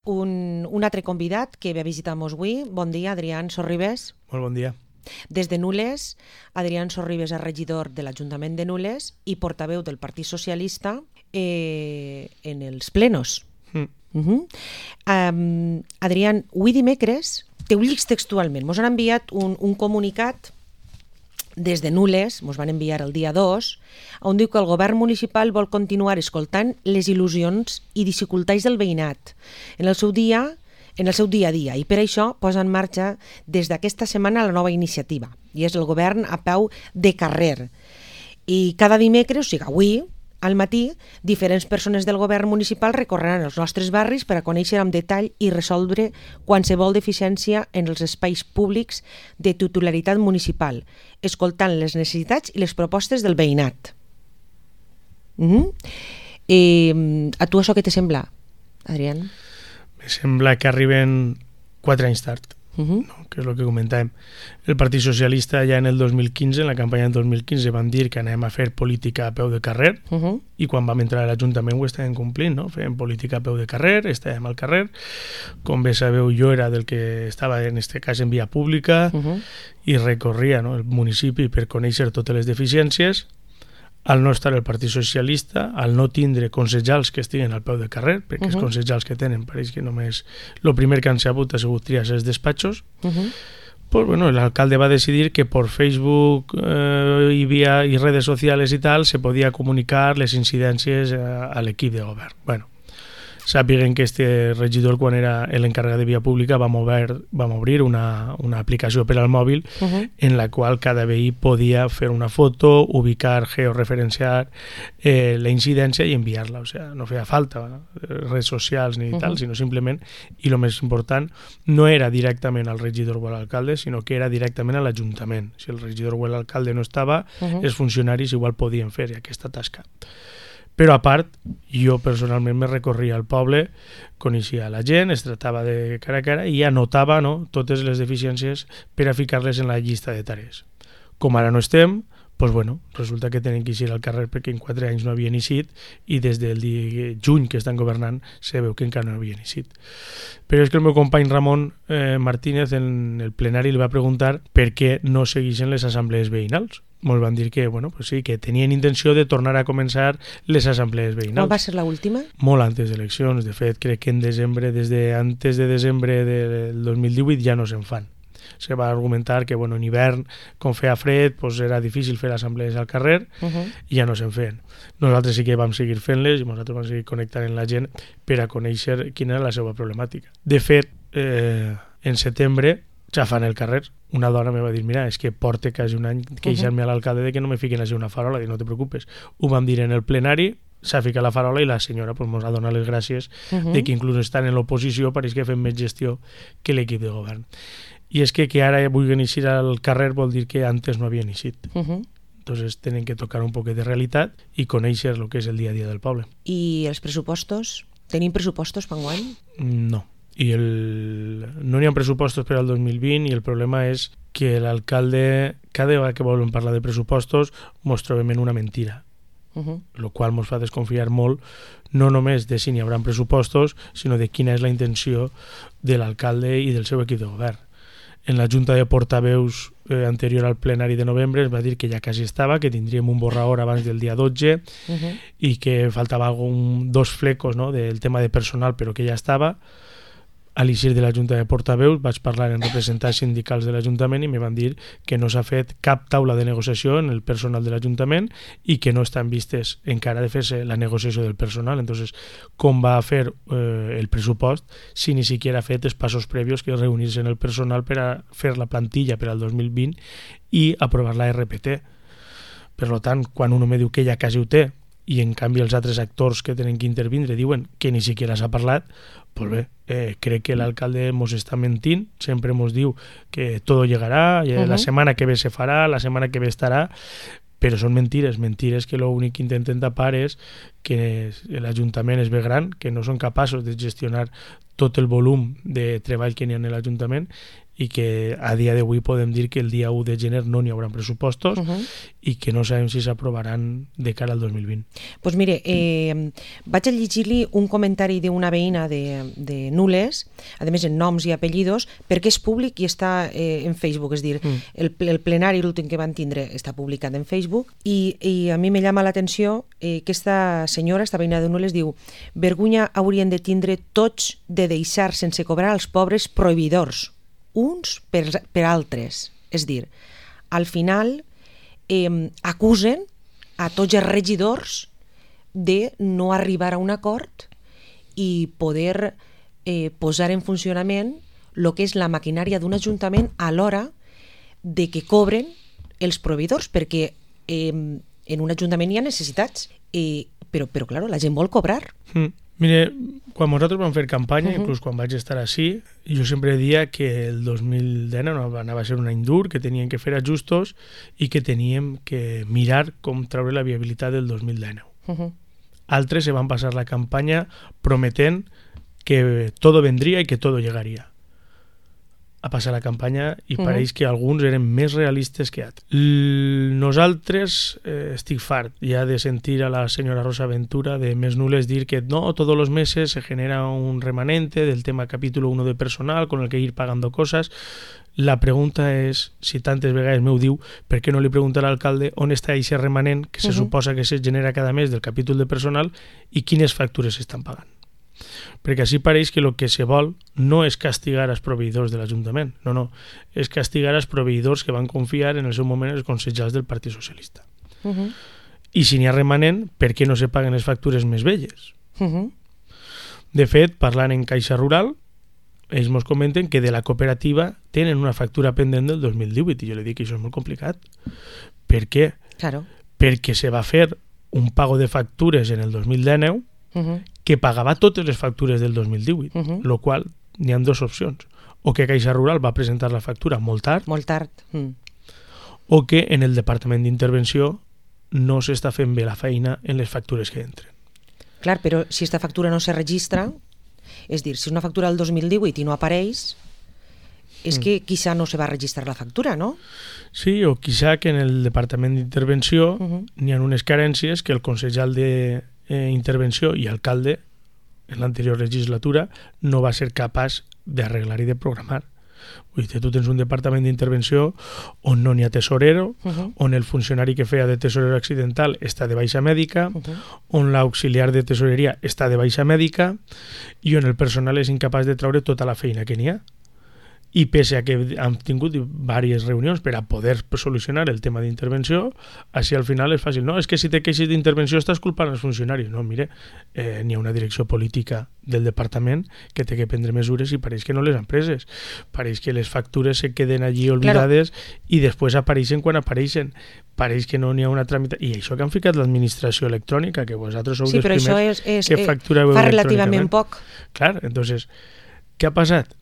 Un altre convidat que ve a visitar-nos avui. Bon dia, Adrián Sorribes. Molt bon dia. Des de Nules, Adrián Sorribes és regidor de l'Ajuntament de Nules i portaveu del Partit Socialista en els plenos. Adrián, avui dimecres, ho llics textualment, ens han enviat un comunicat des de Nules, ens van enviar el dia 2, on diu que el govern municipal vol continuar escoltant les il·lusions i dificultats del veïnat en el seu dia a dia, i per això posa en marxa des d'aquesta setmana la nova iniciativa, i és el govern a peu de carrer. I cada dimecres, o sigui, avui, al matí, diferents persones del govern municipal recorreran els nostres barris per a conèixer amb detall i resoldre qualsevol deficiència en els espais públics de titularitat municipal, escoltant les necessitats i les propostes del veïnat. A tu això què te sembla, Adrián? Me sembla que arriben 4 anys tard, no? Que és el que comentàvem. El Partit Socialista ja en el 2015, en la campanya del 2015, van dir que anem a fer política a peu de carrer, i quan vam entrar a l'Ajuntament ho estàvem complint, no? Fèiem política a peu de carrer, estàvem al carrer. Com bé sabeu, jo era del que estava en este cas en via pública i recorria, no, el municipi per conèixer totes les deficiències. Al no estar el Partit Socialista, al no tindre consellers que estiguen al peu de carrer, perquè els consellers que tenen pareix que només el primer que han sabut ha sigut triar els despatxos, pues bueno, l'alcalde va decidir que por Facebook y redes sociales y tal se podía comunicar les incidències a l'equip de govern. Bueno, sàpiguen que este regidor, quan era l'encarregat de via pública, vam obrir una aplicació per al mòbil en la qual cada veí podia fer una foto, ubicar, georreferenciar la incidència i enviar-la. O sigui, no feia falta redes socials ni tal, sinó simplement, i el més important, no era directament al regidor o a l'alcalde, sinó que era directament a l'Ajuntament. Si el regidor o l'alcalde no estava, els funcionaris igual podien fer aquesta tasca. Però a part, jo personalment me recorria al poble, coneixia la gent, es tractava de cara a cara i anotava, no, totes les deficiències per a ficar-les en la llista de tarees. Com ara no estem, doncs bueno, resulta que tenen que eixir al carrer perquè en 4 anys no havien eixit i des del juny que estan governant se veu que encara no havien eixit. Però és que el meu company Ramon Martínez en el plenari li va preguntar per què no segueixen les assemblees veïnals. Ens van dir que, bueno, pues sí, que tenien intenció de tornar a començar les assemblees veïnals. Quan va ser l'última? Molt antes d'eleccions. De fet, crec que en desembre, antes de desembre del 2018 ja no se'n fan. Se va argumentar que, bueno, en hivern, com feia fred, pues era difícil fer assemblees al carrer i ja no se'n feien. Nosaltres sí que vam seguir fent-les i nosaltres vam seguir connectant amb la gent per a conèixer quina era la seva problemàtica. De fet, en setembre, ja fan el carrer. Una dona me va dir, mira, és que porta quasi un any queixant-me a l'alcalde de que no me fiquen a ser una farola. Dic, no te preocupes. Ho vam dir en el plenari, s'ha ficat la farola i la senyora pues, ens ha donat les gràcies de que inclús estan en l'oposició pareix que fem més gestió que l'equip de govern. I és que ara vulguin eixir al carrer vol dir que antes no havien eixit. Entonces tenen que tocar un poquet de realitat i conèixer el que és el dia a dia del poble. I els pressupostos? Tenim pressupostos per enguany? No. No n'hi ha pressupostos per al 2020 i el problema és que l'alcalde, cada vegada que volen parlar de pressupostos, ens trobem en una mentira, el qual ens fa desconfiar molt, no només de si n'hi haurà pressupostos, sinó de quina és la intenció de l'alcalde i del seu equip de govern. En la Junta de Portaveus anterior al plenari de novembre es va dir que ja quasi estava, que tindríem un borrador abans del dia 12 i que faltava dos flecos, no, del tema de personal, però que ja estava. A l'eixir de la Junta de Portaveus vaig parlar amb representants sindicals de l'Ajuntament i me van dir que no s'ha fet cap taula de negociació en el personal de l'Ajuntament i que no estan vistes encara de fer-se la negociació del personal. Entonces, com va fer el pressupost si ni siquiera ha fet els passos previos que és reunir-se en el personal per a fer la plantilla per al 2020 i aprovar la RPT. Per tant, quan un home diu que ja quasi ho té i en canvi els altres actors que tenen que intervindre diuen que ni siquiera s'ha parlat, pues bé, crec que l'alcalde ens està mentint, sempre ens diu que tot llegarà, la setmana que ve se farà, la setmana que ve estarà, però són mentires que l'únic que intenten tapar és que l'Ajuntament es ve gran, que no són capaços de gestionar tot el volum de treball que n'hi ha en l'Ajuntament i que a dia d'avui podem dir que el dia 1 de gener no n'hi haurà pressupostos i que no sabem si s'aprovaran de cara al 2020. Doncs mire, vaig a llegir-li un comentari d'una veïna de Nules, a més en noms i apellidos, perquè és públic i està en Facebook, és dir, el plenari l'últim que van tindre està publicat en Facebook i a mi me llama l'atenció que aquesta senyora, esta veïna de Nules, diu: vergonya haurien de tindre tots de deixar sense cobrar als pobres prohibidors, uns per altres. És dir, al final acusen a tots els regidors de no arribar a un acord i poder posar en funcionament el que és la maquinària d'un ajuntament a l'hora de que cobren els proveïdors, perquè en un ajuntament hi ha necessitats, però clar, la gent vol cobrar. Mire, quan nosaltres vam fer campanya, inclús quan vaig estar així, jo sempre deia que el 2019 anava a ser un any dur, que teníem que fer ajustos i que teníem que mirar com treure la viabilitat del 2019. Altres se van passar la campanya prometent que todo vendría y que todo llegaría. A passar la campanya i pareix que alguns eren més realistes que altres. Nosaltres estic fart ja de sentir a la senyora Rosa Ventura de Més Nules dir que no, todos los meses se genera un remanente del tema capítulo 1 de personal con el que ir pagando cosas. La pregunta és, si tantes vegades m'ho diu, per què no li pregunta a l'alcalde on està aquest remanent que se suposa que se genera cada mes del capítol de personal i quines factures s'estan pagant? Perquè així pareix que el que se vol no és castigar els proveïdors de l'Ajuntament, no, és castigar els proveïdors que van confiar en el seu moment els consellers del Partit Socialista. I si n'hi ha remanent, per què no se paguen les factures més velles? De fet, parlant en Caixa Rural, ells ens comenten que de la cooperativa tenen una factura pendent del 2018 i jo li dic que això és molt complicat. Per què? Claro. Perquè se va fer un pago de factures en el 2019 que pagava totes les factures del 2018, lo qual n'hi ha dues opcions: o que Caixa Rural va presentar la factura molt tard, o que en el Departament d'Intervenció no s'està fent bé la feina en les factures que entren. Clar, però si aquesta factura no se registra, és dir, si és una factura del 2018 i no apareix, és que quizá no se va registrar la factura, no? Sí, o quizá que en el Departament d'Intervenció n'hi ha unes carències que el consellal d'intervenció i alcalde en l'anterior legislatura no va ser capaç d'arreglar i de programar. Vull dir, tu tens un departament d'intervenció on no n'hi ha tesorero, on el funcionari que feia de tesorero accidental està de baixa mèdica, on l'auxiliar de tesoreria està de baixa mèdica i on el personal és incapaç de treure tota la feina que n'hi ha. I pese a que hem tingut diverses reunions per a poder solucionar el tema d'intervenció, així al final és fàcil. No, és que si te queixes d'intervenció estàs culpant els funcionaris. No, mire, n'hi ha una direcció política del departament que té que prendre mesures i pareix que no les han preses. Pareix que les factures se queden allí oblidades i després apareixen quan apareixen. Pareix que no n'hi ha una tramitació. I això que han ficat l'administració electrònica, que vosaltres sou els primers que factureu fa relativament poc. Clar, entonces, què ha passat?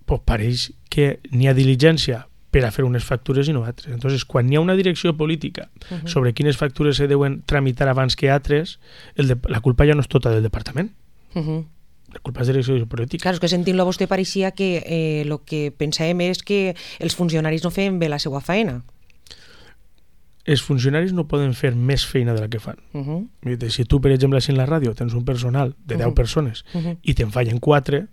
Pues pareix que n'hi ha diligència per a fer unes factures i no altres. Entonces, quan hi ha una direcció política sobre quines factures se deuen tramitar abans que altres, la culpa ja no és tota del departament. La culpa és de la direcció política. Clar, és que sentint-lo a vostè pareixia que el que pensàvem és que els funcionaris no feien bé la seva feina. Els funcionaris no poden fer més feina de la que fan. Si tu, per exemple, en la ràdio tens un personal de 10 persones i te'n fallen 4,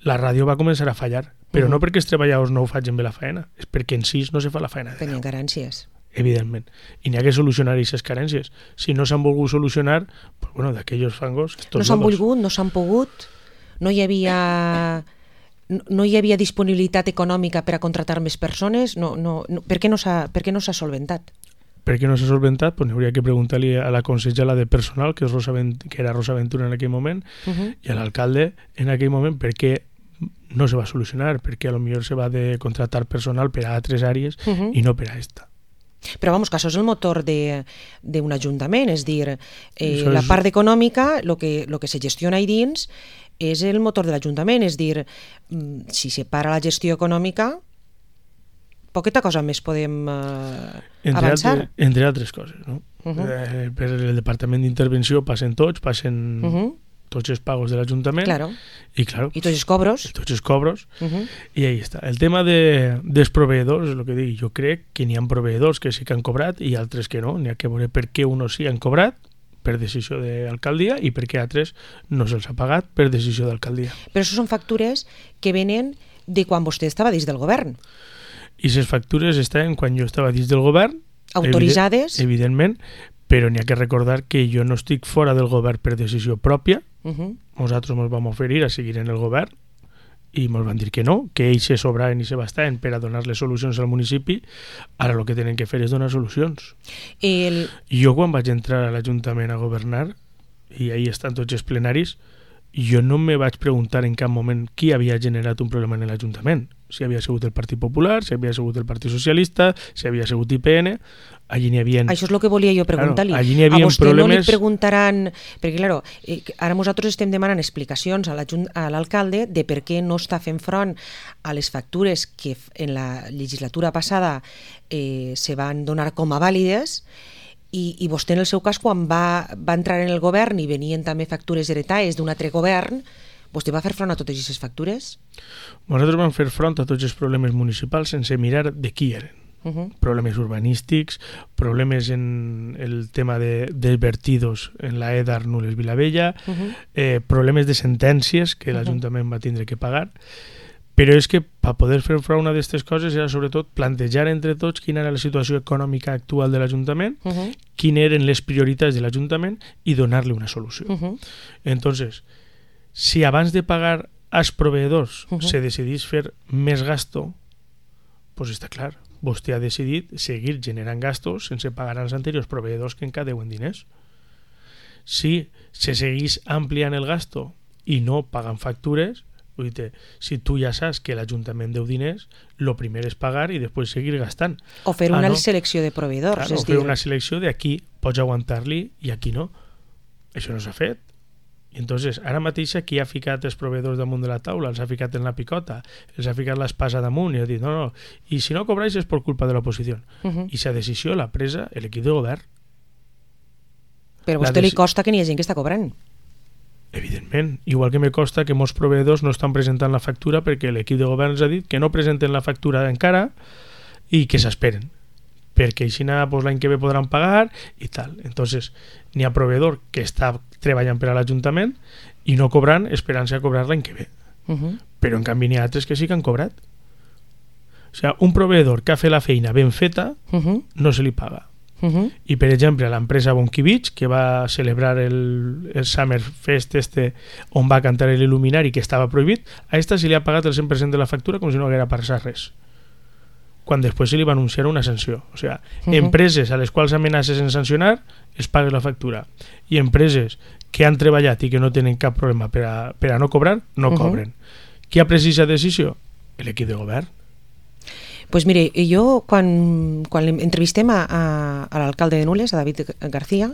la ràdio va començar a fallar, però no perquè els treballadors no ho facin bé la feina, és perquè en 6 no se fa la feina. Tenien carències. Evidentment. I n'hi ha que solucionar aquestes carències. Si no s'han volgut solucionar, pues bueno, d'aquells fangos... No s'han volgut, no s'han pogut, no hi havia disponibilitat econòmica per a contratar més persones, per què no s'ha solventat? Per què no s'ha solventat? Pues n'hauria que preguntar-li a la consellera de personal, que era Rosa Ventura en aquell moment, i a l'alcalde en aquell moment, per què no se va solucionar, perquè potser se va de contratar personal per a altres àrees i no per a esta. Però vamos, que això és el motor d'un ajuntament, és dir, la part econòmica, el que se gestiona ahí dins, és el motor de l'Ajuntament, és dir, si se para la gestió econòmica, poqueta cosa més podem avançar. Entre altres coses, no? Per el Departament d'Intervenció passen tots els pagos de l'Ajuntament i tots els cobros i ahí està. El tema dels proveïdors, el que dic, jo crec que n'hi ha proveïdors que sí que han cobrat i altres que no, n'hi ha que veure per què uns sí han cobrat per decisió de l'alcaldia i per què altres no se'ls ha pagat per decisió d'alcaldia. Però això són factures que venen de quan vostè estava dins del govern. I les factures estaven quan jo estava dins del govern, autoritzades, evidentment, però n'hi ha que recordar que jo no estic fora del govern per decisió pròpia. Nosaltres ens vam oferir a seguir en el govern i ens van dir que no, que ells se sobraven i se bastaven per a donar-les solucions al municipi. Ara el que tenen que fer és donar solucions. Jo quan vaig entrar a l'Ajuntament a governar, i ahí estan tots els plenaris, jo no me vaig preguntar en cap moment qui havia generat un problema en l'Ajuntament. Si havia sigut el Partit Popular, si havia sigut el Partit Socialista, si havia sigut IPN. Allí n'hi havia... Això és el que volia jo preguntar-li. Claro, allí n'hi havia problemes... A vostè problemes... no li preguntaran... Perquè, claro, ara nosaltres estem demanant explicacions a l'alcalde de per què no està fent front a les factures que en la legislatura passada se van donar com a vàlides i vostè, en el seu cas, quan va entrar en el govern i venien també factures heretades d'un altre govern, vostè va fer front a totes aquestes factures? Nosaltres vam fer front a tots els problemes municipals sense mirar de qui eren. Problemes urbanístics, problemes en el tema de vertidos en la EDA Arnules Vilavella, problemes de sentències que l'Ajuntament va tindre que pagar, però és que per poder fer front a una d'aquestes coses era sobretot plantejar entre tots quina era la situació econòmica actual de l'Ajuntament, quines eren les prioritats de l'Ajuntament i donar-li una solució. Entonces, si abans de pagar als proveïdors se decidís fer més gasto, doncs està clar, vostè ha decidit seguir generant gastos sense pagar als anteriors proveïdors que encara deuen diners. Si se seguís ampliant el gasto i no pagant factures, vull dir, si tu ja saps que l'Ajuntament deu diners, el primer és pagar i després seguir gastant. O fer una selecció de proveïdors. Claro, o fer una selecció de aquí pots aguantar-li i aquí no. Això no s'ha fet. I entonces, ara mateix qui ha ficat els proveïdors damunt de la taula, els ha ficat en la picota, els ha ficat l'espasa damunt i ha dit no, i si no cobrais és per culpa de l'oposició. I sa decisió l'ha presa l'equip de govern. Però a vostè li costa que n'hi ha gent que està cobrant. Evidentment, igual que me costa que molts proveïdors no estan presentant la factura perquè l'equip de govern ens ha dit que no presenten la factura encara i que s'esperen, perquè així l'any que ve podran pagar i tal. Entonces, n'hi ha proveïdor que està treballant per a l'Ajuntament i no cobrant, esperant-se a cobrar l'any que ve. Però en canvi n'hi ha altres que sí que han cobrat. O sigui, un proveïdor que ha fet la feina ben feta no se li paga. I per exemple l'empresa Bonky Beach, que va celebrar el Summer Fest on va cantar l'Il·luminari, que estava prohibit, a esta se li ha pagat el 100% de la factura com si no haguera passat res, quan després se li va anunciar una sanció. O sigui, empreses a les quals amenaces en sancionar es paga la factura, i empreses que han treballat i que no tenen cap problema per a no cobrar, no cobren. Qui ha pres aquesta decisió? L'equip de govern. Pues mire, jo quan entrevistem a l'alcalde de Nules, a David García,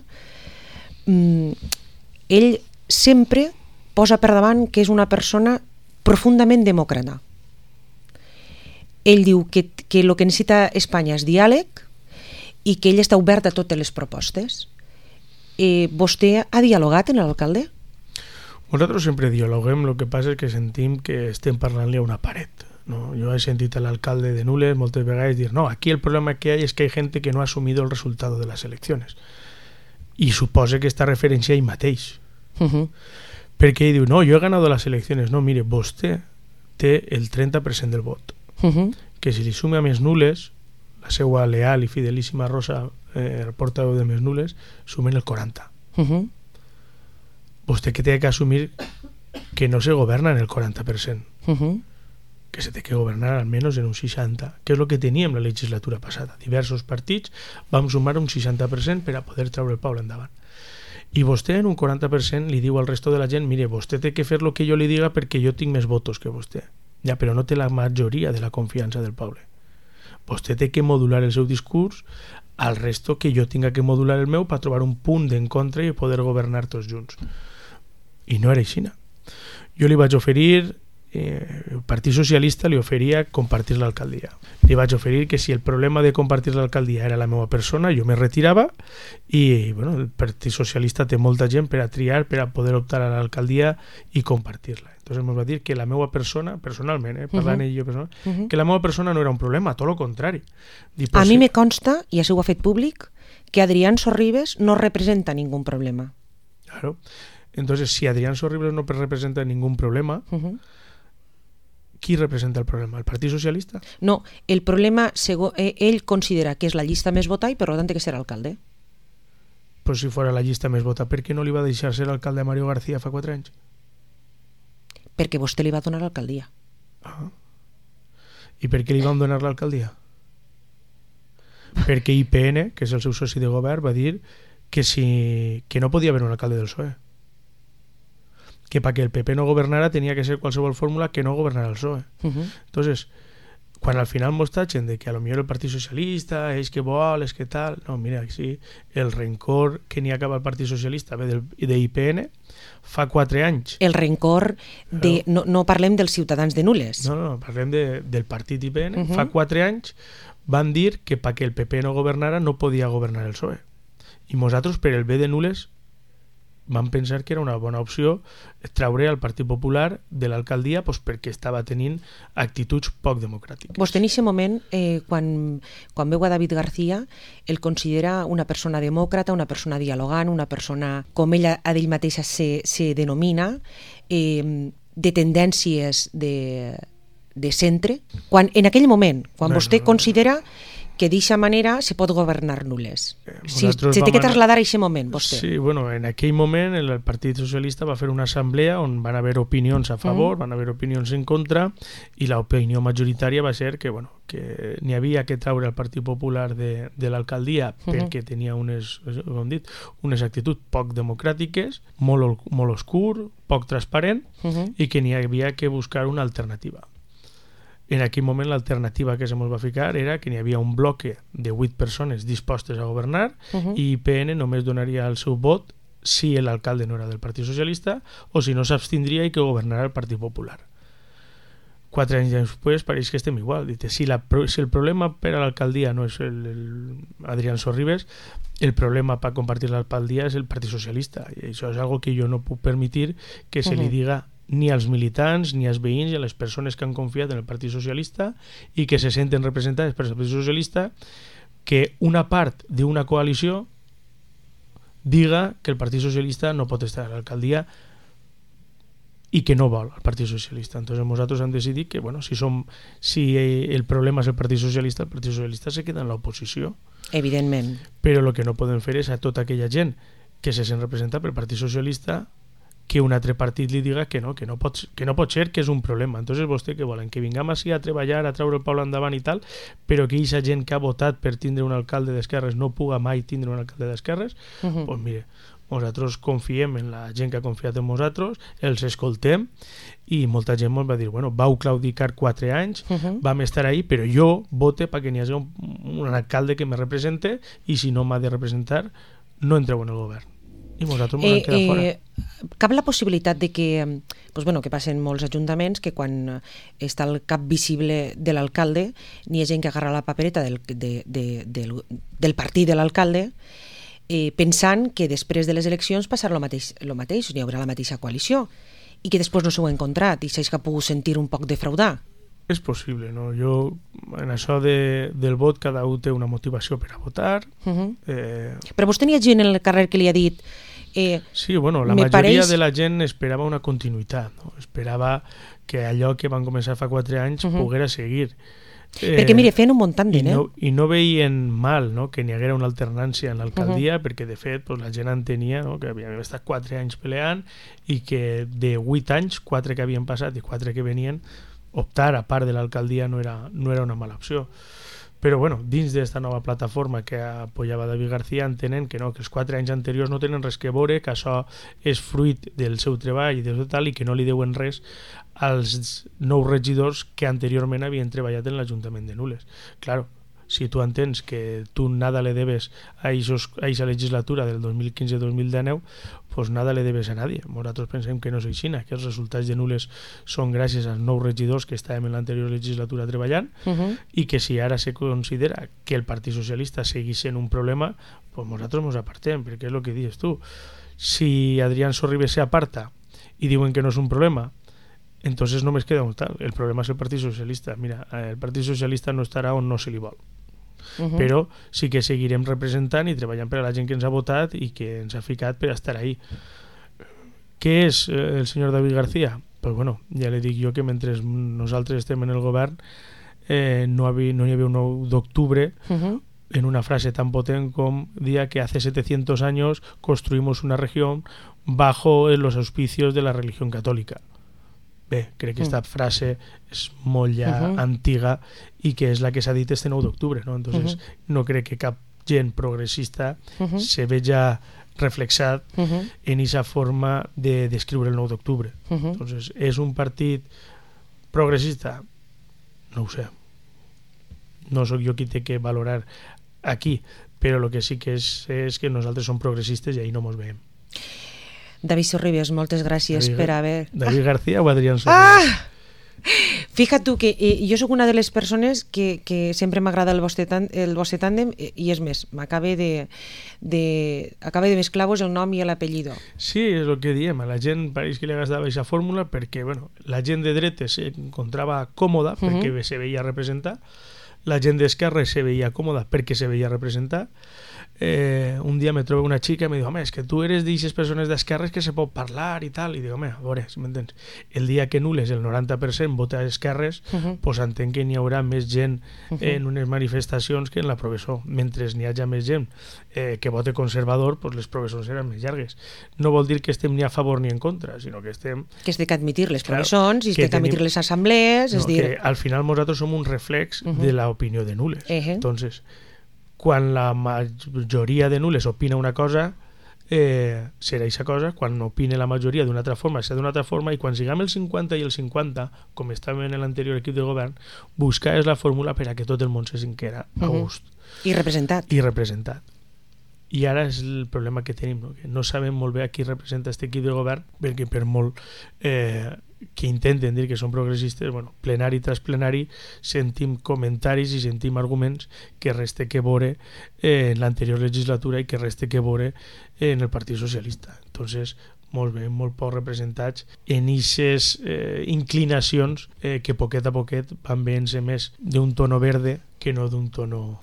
ell sempre posa per davant que és una persona profundament demòcrata. Ell diu que el que necessita Espanya és diàleg i que ell està obert a totes les propostes. Vostè ha dialogat amb l'alcalde? Nosaltres sempre dialoguem, el que passa és que sentim que estem parlant-li a una paret. No, yo he sentido al alcalde de Nules muchas veces decir, no, aquí el problema que hay es que hay gente que no ha asumido el resultado de las elecciones. Y supose que esta referencia ahí mateix. Perquè ell diu, no, yo he ganado las elecciones. No, mire, vostè té el 30% del vot. Que si li sume a Més Nules, la seva leal i fidelíssima Rosa, portaveu de Més Nules, sumen el 40%. Vostè que té que assumir que no se governa en el 40%. Que se té que governar almenys en un 60%, que és el que teníem la legislatura passada. Diversos partits vam sumar un 60% per a poder treure el poble endavant. I vostè en un 40% li diu al resto de la gent, mire, vostè té que fer el que jo li diga perquè jo tinc més votos que vostè. Ja, però no té la majoria de la confiança del poble. Vostè té que modular el seu discurs al resto que jo tinga que modular el meu per trobar un punt d'encontre i poder governar tots junts. I no era així. Jo li vaig oferir el Partit Socialista li oferia compartir l'alcaldia. Li vaig oferir que si el problema de compartir l'alcaldia era la meva persona, jo me retirava i bueno, el Partit Socialista té molta gent per a triar, per a poder optar a l'alcaldia i compartir-la. Entonces ens va dir que la meva persona, personalment, parlant ell i jo personalment, que la meva persona no era un problema, tot el contrari. A mi me consta, i així ho ha fet públic, que Adrián Sorribes no representa ningún problema. Claro. Entonces, si Adrián Sorribes no representa ningún problema, qui representa el problema? El Partit Socialista? No, el problema, ell considera que és la llista més votada i per tant que serà alcalde. Però si fora la llista més votada, per què no li va deixar ser alcalde a Mario García fa 4 anys? Perquè vostè li va donar l'alcaldia. I per què li van donar l'alcaldia? Perquè IPN, que és el seu soci de govern, va dir que no podia haver un alcalde del PSOE. Que para que el PP no gobernara tenía que ser qualsevol fórmula que no gobernara el PSOE. Entonces, quan al final mos tachen de que a lo millor el Partit Socialista és que vol, és que tal... No, mira, sí, el rencor que n'hi ha cap al Partit Socialista ve d'IPN fa 4 anys. El rencor de... No parlem dels ciutadans de Nules. No, parlem del partit IPN. Fa 4 anys van dir que perquè el PP no governara no podia governar el PSOE. I nosaltres, per el bé de Nules, van pensar que era una bona opció treure el Partit Popular de l'alcaldia perquè estava tenint actituds poc democràtiques. Vostè en aquest moment, quan veu a David García, el considera una persona demòcrata, una persona dialogant, una persona, com ell mateixa se denomina, de tendències de centre, quan en aquell moment, quan vostè considera que d'eixa manera se pot governar Nules. Se té que trasladar a aquest moment, vostè. Sí, bueno, en aquell moment el Partit Socialista va fer una assemblea on van haver opinions a favor, van haver opinions en contra, i l'opinió majoritària va ser que n'hi havia que treure el Partit Popular de l'alcaldia perquè tenia unes actituds poc democràtiques, molt oscur, poc transparent, i que n'hi havia que buscar una alternativa. En aquell moment l'alternativa que se mos va ficar era que n'hi havia un bloque de 8 persones dispostes a governar i IPN només donaria el seu vot si l'alcalde no era del Partit Socialista o si no s'abstindria i que governara el Partit Popular. 4 anys després pareix que estem igual. Si el problema per a l'alcaldia no és Adrián Sorribes, el problema per compartir l'alcaldia és el Partit Socialista. I això és algo que jo no puc permetre que se li diga ni als militants, ni als veïns, ni a les persones que han confiat en el Partit Socialista i que se senten representades per el Partit Socialista, que una part d'una coalició diga que el Partit Socialista no pot estar a l'alcaldia i que no vol el Partit Socialista. Entonces nosaltres hem decidit que si el problema és el Partit Socialista se queda en l'oposició. Evidentment. Però el que no podem fer és a tota aquella gent que se sent representada pel Partit Socialista que un altre partit li diga que no pot ser, que és un problema. Entonces vostè què volen? Que vingam així a treballar, a treure el poble endavant i tal, però que aquesta gent que ha votat per tindre un alcalde d'esquerres no puga mai tindre un alcalde d'esquerres? Doncs mire, nosaltres confiem en la gent que ha confiat en nosaltres, els escoltem i molta gent ens va dir, bueno, vau claudicar 4 anys, vam estar ahí, però jo vote perquè n'hi hagi un alcalde que me represente i si no m'ha de representar no entreu en el govern. I nosaltres ens quedem fora. Cap la possibilitat de que passen molts ajuntaments que quan està el cap visible de l'alcalde n'hi ha gent que agarra la papereta del partit de l'alcalde pensant que després de les eleccions passarà el mateix, hi haurà la mateixa coalició i que després no s'ho ha encontrat i s'ha pogut sentir un poc defraudar. És possible, no? Jo, en això del vot, cada un té una motivació per a votar. Però vostè n'hi ha gent en el carrer que li ha dit... Sí, bueno, la majoria de la gent esperava una continuïtat, no? Esperava que allò que van començar fa 4 anys poguera seguir. Perquè, mire, feien un muntant de I no veien mal, no?, que n'hi haguera una alternància en l'alcaldia, perquè, de fet, la gent entenia, no?, que havíem estat 4 anys peleant i que de 8 anys, 4 que havien passat i 4 que venien, optar a part de l'alcaldia no era una mala opció. Però bueno, dins d'esta nova plataforma que apoyava David García entenen que no, que els 4 anys anteriors no tenen res que veure, que això és fruit del seu treball i del seu tal i que no li deuen res als nous regidors que anteriorment havien treballat en l'Ajuntament de Nules. Claro, si tu entens que tu nada le debes a aquesta legislatura del 2015-2019, pues nada le debes a nadie. Nosaltres pensem que no és així, que els resultats de nules són gràcies als 9 regidors que estàvem en l'anterior legislatura treballant i que si ara se considera que el Partit Socialista seguís sent un problema, pues nosaltres ens apartem, perquè és el que dius tu. Si Adrián Sorribes se aparta y diuen que no es un problema, entonces només queda un tal. El problema és el Partit Socialista. Mira, el Partit Socialista no estarà on no se li vol. Però sí que seguirem representant i treballant per a la gent que ens ha votat i que ens ha ficat per estar ahí. Què és el senyor David García? Pues bueno, ja li dic jo que mentre nosaltres estem en el govern no hi havia un 9 d'octubre en una frase tan potente como día que hace 700 años construimos una región bajo los auspicios de la religión católica. Bé, crec que aquesta frase és molt ja antiga i que és la que s'ha dit este 9 d'octubre, ¿no? Entonces no crec que cap gent progressista se veja reflexat en esa forma de descriure el 9 d'octubre. Entonces, és un partit progressista? No ho sé. No sóc jo qui té que valorar aquí, però el que sí que és que nosaltres som progressistes i ahí no mos veiem. David Sorribes, moltes gràcies per haver... David García o Adrián Sorribes? Fíjate tu que jo sóc una de les persones que sempre m'agrada el vostre tàndem i és més, m'acaba de mesclar-vos el nom i l'apellido. Sí, és el que diem, a la gent pareix que li agradava aquesta fórmula perquè la gent de dretes s'encontrava còmoda perquè se veia representar, la gent d'esquerra se veia còmoda perquè se veia representar. Un dia me trobo una xica i me diu, home, és que tu eres d'eixes persones d'esquerres que se pot parlar i tal, i dic, home, a veure, si m'entens, el dia que nules el 90% vota a esquerres, pues entenc que n'hi haurà més gent en unes manifestacions que en la professó. Mentre n'hi hagi més gent que vote conservador, pues les professors seran més llargues. No vol dir que estem ni a favor ni en contra, sinó que estem... Que es té que admitir les professons i es té que admitir les assemblees, és dir... Al final nosaltres som un reflex de l'opinió de nules. Entonces, quan la majoria de nules opina una cosa, serà aquesta cosa, quan opina la majoria d'una altra forma, serà d'una altra forma, i quan siguem el 50 i el 50, com estàvem en l'anterior equip de govern, buscar és la fórmula per a que tot el món se sinquera a gust. I representat. I ara és el problema que tenim, no? Que no sabem molt bé a qui representa aquest equip de govern, perquè per molt que intenten dir que són progressistes, plenari tras plenari sentim comentaris i sentim arguments que res té que veure en l'anterior legislatura i que res té que veure en el Partit Socialista. Entonces, molt bé, molt poc representats en aquestes inclinacions que poquet a poquet van veient-se més d'un tono verde que no d'un tono...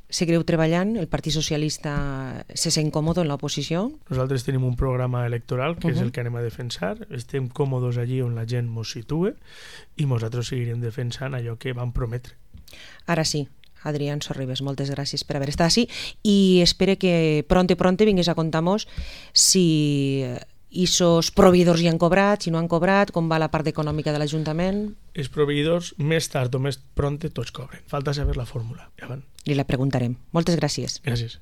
Seguireu treballant? El Partit Socialista se sent còmode en l'oposició? Nosaltres tenim un programa electoral que és el que anem a defensar. Estem còmodes allí on la gent mos situa i nosaltres seguirem defensant allò que vam prometre. Ara sí, Adrián Sorribes, moltes gràcies per haver estat així i espero que pronte vingués a contar-nos si esos proveïdors ja han cobrat, si no han cobrat, com va la part econòmica de l'Ajuntament. Els proveïdors, més tard o més pronte, tots cobren. Falta saber la fórmula. Li la preguntarem. Moltes gràcies. Gràcies.